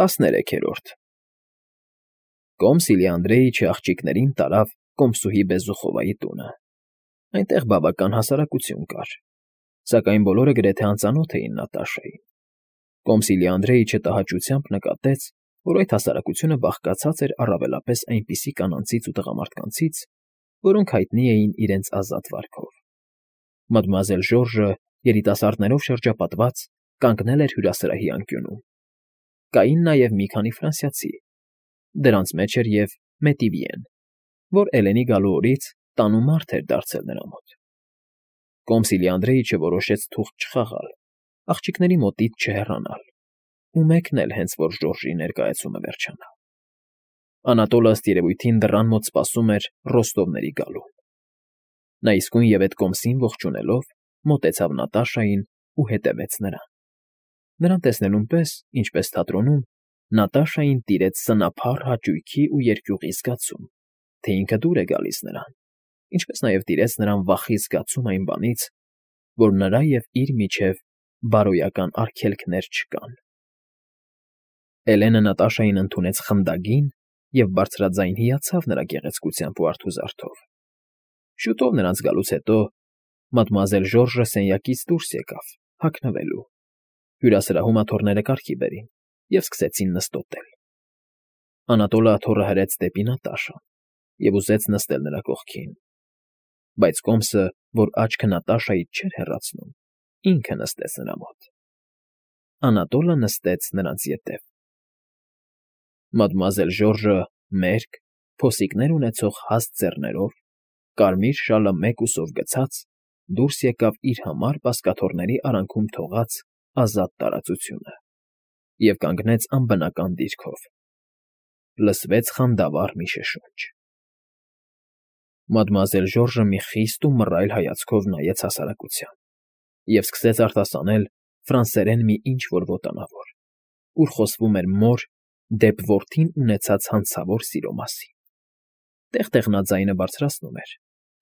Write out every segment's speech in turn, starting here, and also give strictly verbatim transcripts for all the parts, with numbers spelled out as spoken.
Տասներեքերորդ Կոմսիլի Անդրեիչը աղջիկներին տարավ Կոմսուհի Բեզուխովայի տունը. այնտեղ բավական հասարակություն կար, սակայն բոլորը գրեթե անծանոթ էին Նատաշային. Կոմսիլի Անդրեիչը տհաճությամբ նկատեց, որ այդ հասարակությունը բաղկացած էր առավելապես այնպիսի կանանցից ու տղամարդկանցից, որոնք հայտնի էին իրենց ազատ վարքով. Մադմուազել Ժորժը, երիտասարդներով շրջապատված, կանգնել էր հյուրասրահի անկյունում. կային նաև մի քանի ֆրանսիացի, դրանց մեջ էր և Մետիվիեն, որ Էլենի գալու օրից տանու մարդ էր դարձել նրա մոտ. Կոմսիլի Անդրեիչը որոշեց թուղթ չխաղալ, աղջիկների մոտից չհեռանալ ու մեկնել, հենց որ Ժորժի ներկայացումը վերջանա. Անատոլը ըստ երևույթին դռան մոտ սպասում էր Ռոստովների գալուն. Նա իսկույն և էդ կոմսին ողջունելով, մոտեցավ Նատաշային ու հետևեց նրան. Նրան տեսնելուն պես, ինչպես թատրոնում, Նատաշային տիրեց սնափառ հաճույքի ու երկյուղի զգացում, թե ինքը դուր է գալիս նրան, ինչպես նաև տիրեց նրան վախի զգացում այն բանից, որ նրա և իր միջև բարոյական արգելքներ չկան. Էլենը Նատաշային ընդունեց խնդագին և բարձրաձայն հիացավ նրա գեղեցկությամբ ու արդուզարդով. շուտով նրանց գալուց հետո մադմուազել Ժորժը սենյակից դուրս եկավ, հագնվելու, հյուրասրահում աթոռները կարգի բերին և սկսեցին նստոտել. Անատոլը աթոռը հրեց դեպի Նատաշան և ուզեց նստել նրա կողքին, բայց կոմսը, որ աչքը Նատաշայից չէր հեռացնում, ինքը նստեց նրա մոտ. Անատոլը նստեց նրանց ետև. Մադմուազել Ժորժը մերկ, փոսիկներ ունեցող հաստ ձեռներով, կարմիր շալը մեկ ուսով գցած, դուրս եկավ իր համար բազկաթոռների արանքում թողած ազատ տարածությունը և կանգնեց անբնական դիրքով. լսվեց խանդավառ մի շշունչ. Մադմուազել Ժորժը մի խիստ ու մռայլ հայացքով նայեց հասարակության և սկսեց արտասանել ֆրանսերեն մի ինչ֊որ ոտանավոր, ուր խոսվում էր մոր դեպ որդին ունեցած հանցավոր սիրո մասին. տեղ֊տեղ նա ձայնը բարձրացնում էր,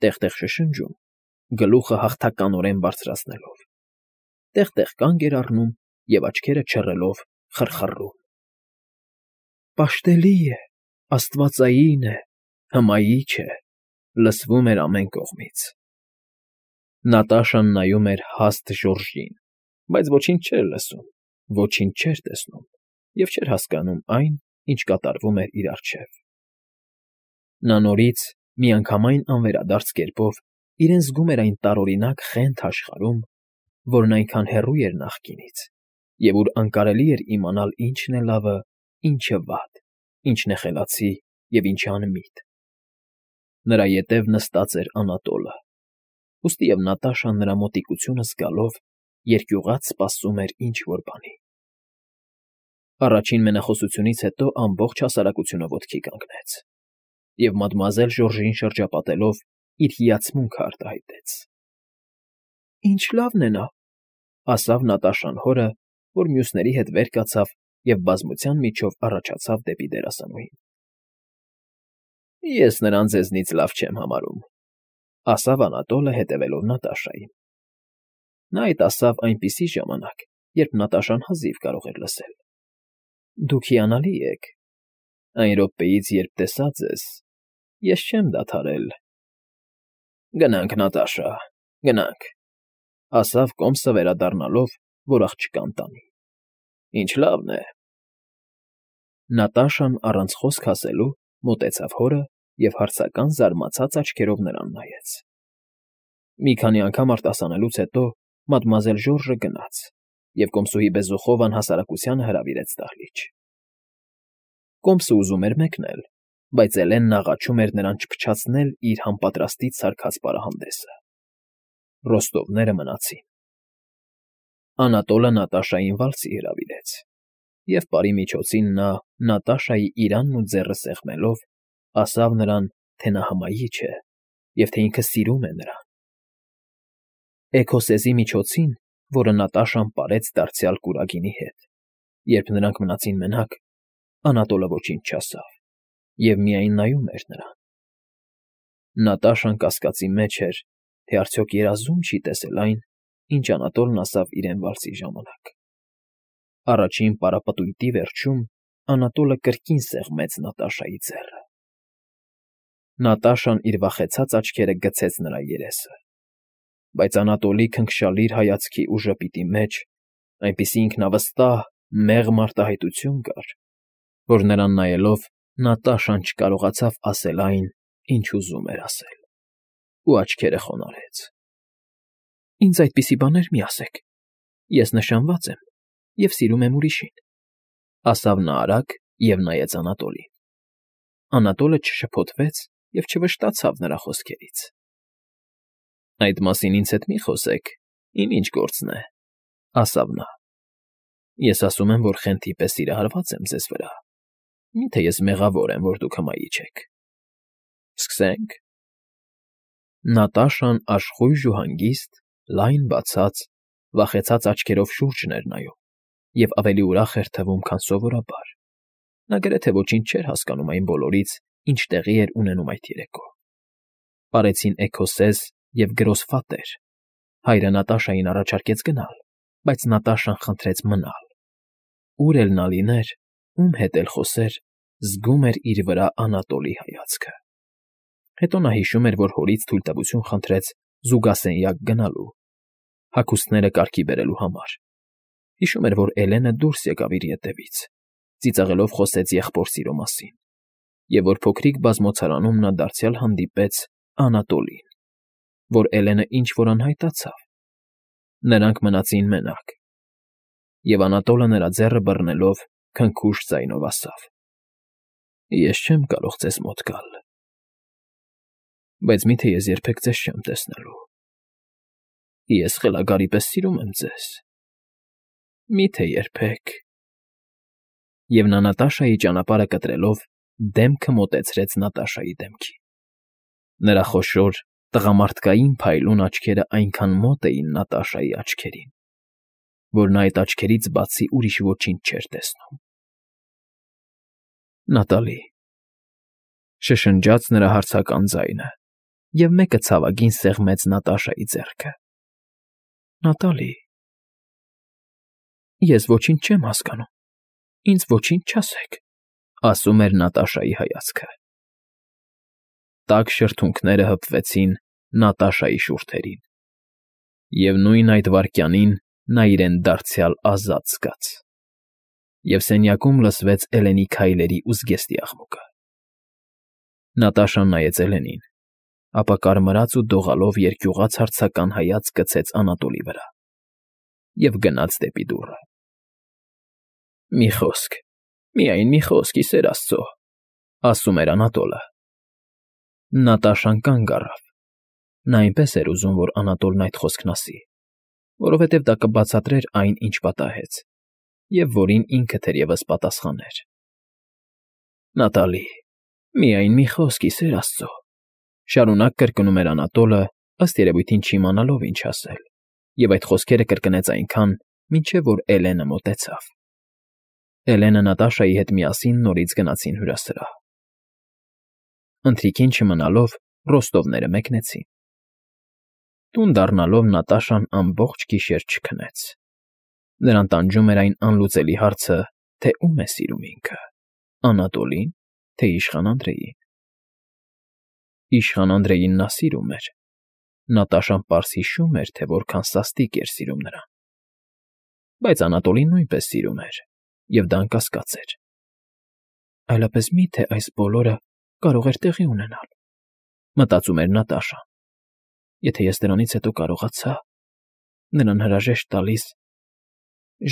տեղ֊տեղ շշնջում, գլուխը հաղթականորեն բարձրացնելով, տեղ֊տեղ կանգ էր առնում և աչքերը չռելով խռխռում. Պաշտելի է, աստվածային է, հմայիչ է, լսվում էր ամեն կողմից. Նատաշան նայում էր հաստ Ժորժին, բայց ոչինչ չէր լսում, ոչինչ չէր տեսնում և չէր հասկանում այն, ինչ կատարվում էր իր առջև. նա նորից, միանգամայն անվերադարձ կերպով իրեն զգում էր այն տարօրինակ խենթ աշխարհում, որն այնքան հեռու էր նախկինից և ուր անկարելի էր իմանալ ինչն է լավը, ինչը վատ, ինչն է խելացի և ինչը անմիտ. նրա ետև նստած էր Անատոլը, ուստի և Նատաշան նրա մոտիկությունը զգալով երկյուղած սպասում էր ինչ֊որ բանի. Առաջին մենախոսությունից հետո ամբողջ հասարակությունը ոտքի կանգնեց և մադմուազել Ժորժին շրջապատելով իր հիացմունքը արտահայտեց. Ինչ լավն է նա, ասավ Նատաշան հորը, որ մյուսների հետ վեր կացավ և բազմության միջով առաջացավ դեպի դերասանուհին. Ես նրան ձեզնից լավ չեմ համարում, ասավ Անատոլը հետևելով Նատաշային. նա այդ ասավ այնպիսի ժամանակ, երբ Նատաշան հազիվ կարող էր լսել. Դուք հիանալի եք, այն րոպեից, երբ տեսա ձեզ, ես չեմ դադարել… Գնանք, Նատաշա, գնանք, ասավ կոմսը վերադառնալով, որ աղջկան տանի, ինչ լավն է… Նատաշան առանց խոսք ասելու մոտեցավ հորը և հարցական զարմացած աչքերով նրան նայեց. Մի քանի անգամ արտասանելուց հետո մադմուազել Ժորժը գնաց և կոմսուհի Բեզուխովան հասարակությանը հրավիրեց դահլիճ. Կոմսը ուզում էր մեկնել, բայց Էլենն աղաչում էր նրան չփչացնել իր համապատրաստից սարքած պարահանդեսը. Ռոստովները մնացին… Անատոլը Նատաշային վալսի հրավիրեց, և պարի միջոցին նա Նատաշայի իրանն ու ձեռը սեղմելով, ասավ նրան, թե նա հմայիչ է և թե ինքը սիրում է նրան… Էքոսեզի միջոցին, որը Նատաշան պարեց դարձյալ կուրագինի հետ, երբ նրանք մնացին մենակ, Անատոլը ոչինչ չասավ և միայն նայում էր նրան… Նատաշան կասկածի մեջ էր, թե արդյոք երազում չի տեսել այն, ինչ Անատոլն ասավ իրեն վալսի ժամանակ… Առաջին պարապտույտի վերջում Անատոլը կրկին սեղմեց Նատաշայի ձեռը։ Նատաշան իր վախեցած աչքերը գցեց նրա երեսը, բայց Անատոլի քնքշալիր հայացքի ու ժպիտի մեջ այնպիսի ինքնավստահ, մեղմ արտահայտություն կար, որ նրան նայելով Նատաշան չկարողացավ ասել այն, ինչ ուզում էր ասել, ու աչքերը խոնարհեց։ Ինձ այդպիսի բաներ մի ասեք, ես նշանված եմ և սիրում եմ ուրիշին, ասավ նա արագ և նայեց Անատոլին։ Անատոլը չշփոթվեց և չվշտացավ նրա խոսքերից։ Այդ մասին ինձ հետ մի խոսեք, իմ ինչ գործն է, ասավ նա։ Ես ասում եմ, որ խենթի պես սիրահարված եմ ձեզ վրա, մի՞թե ես մեղավոր եմ, որ դուք հմայիչ եք։ Սկսե՞նք։ Նատաշան աշխույժ ու հանգիստ, լայն բացած, վախեցած աչքերով շուրջն էր նայում և ավելի ուրախ էր թվում, քան սովորաբար։ Նա գրեթե ոչինչ չէր հասկանում այն բոլորից, ինչ տեղի էր ունենում այդ երեկո։ Պարեցին էգոսեզ և գրոսֆատեր։ Հայրը Նատաշային առաջարկեց գնալ, բայց Նատաշան խնդրեց մնալ։ Ուր էլ նա լիներ, ում հետ էլ խոսեր, զգում էր իր վրա Անատոլի հայացքը։ Հետո նա հիշում էր, որ հորից թույլտվություն խնդրեց զուգասենյակ գնալու, հագուստները կարգի բերելու համար։ Հիշում էր, որ Էլենը դուրս եկավ իր ետևից, ծիծաղելով խոսեց եղբոր սիրո մասին, և որ փոքրիկ բազմոցարանում նա դարձյալ հանդիպեց Անատոլին, որ Էլենը ինչ֊որ անհայտացավ։ Նրանք մնացին մենակ, և Անատոլը նրա ձեռը բռնելով քնքուշ ձայնով ասավ. Ես չեմ կարող ձեզ մոտ գալ, բայց մի՞թե ես երբեք ձեզ չեմ տեսնելու։ Ես խելագարի պես սիրում եմ ձեզ, մի՞թե երբեք… Եվ նա Նատաշայի ճանապարհը կտրելով դեմքը մոտեցրեց Նատաշայի դեմքին։ Նրա խոշոր, տղամարդկային փայլուն աչքերը այնքան մոտ էին Նատաշայի աչքերին, որ նա այդ աչքերից բացի ուրիշ ոչինչ չէր տեսնում։ Նատալի…֊ շշնջաց նրա հարցական ձայնը, և մեկը ցավագին սեղմեց Նատաշայի ձեռքը։ Նատալի… Ես ոչինչ չեմ հասկանում, ինձ ոչինչ չասեք, ասում էր Նատաշայի հայացքը։ Տաք շրթունքները հպվեցին Նատաշայի շուրթերին, և նույն այդ վայրկյանին նա իրեն դարձյալ ազատ զգաց, և սենյակում լսվեց Էլենի քայլերի ու զգեստի աղմուկը։ Նատաշան նայեց Էլենին, ապա կարմրած ու դողալով երկյուղած հարցական հայացք գցեց Անատոլի վրա և գնաց դեպի դուռը։ Մի խոսք, միայն մի խոսք, ի սեր աստծո, ասում էր Անատոլը։ Նատաշան կանգ առավ։ Նա այնպես էր ուզում, որ Անատոլն այդ խոսքն ասի, որովհետև դա կբացատրեր այն, ինչ պատահեց, և որին ինքը թերևս պատասխաներ։ Նատալի… Միայն մի խոսք, ի սեր աստծո, շարունակ կրկնում էր Անատոլը, ըստ երևույթին չիմանալով ինչ ասել, և այդ խոսքերը կրկնեց այնքան, մինչև որ Էլենը մոտեցավ։ Էլենը Նատաշայի հետ միասին նորից գնացին հյուրասրահ։ Ընթրիքին չմնալով ռոստովները մեկնեցին։ Տուն դառնալով Նատաշան ամբողջ գիշեր չքնեց։ Նրան տանջում էր այն անլուծելի հարցը, թե ում է սիրում ինքը՝ Անատոլին, թե իշխան Անդրեին։ Իշխան Անդրեին նա սիրում էր։ Նատաշան պարզ հիշում էր, թե որքան սաստիկ էր սիրում նրան։ Բայց Անատոլին նույնպես սիրում էր, և դա անկասկած էր։ Այլապես մի՞թե այս բոլորը կարող էր տեղի ունենալ, մտածում էր Նատաշան։ Եթե ես դրանից հետո կարողացա նրան հրաժեշտ տալիս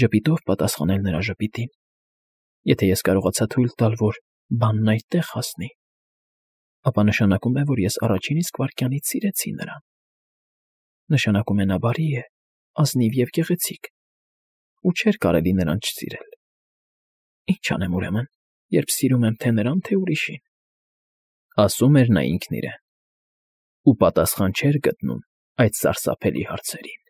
ժպիտով պատասխանել նրա ժպիտին, եթե ես կարողացա թույլ տալ, որ բանն այդ տեղ հասնի, ապա նշանակում է, որ ես առաջին իսկ վայրկյանից սիրեցի նրան։ Նշանակում է նա բարի է, ազնիվ և գեղեցիկ, ու չէր կարելի նրան չսիրել։ Ինչ անեմ ուրեմն, երբ սիրում եմ թե նրան, թե ուրիշին, ասում էր նա ինքն իրեն, ու պատասխան չէր գտնում այդ սարսափելի հարցերին։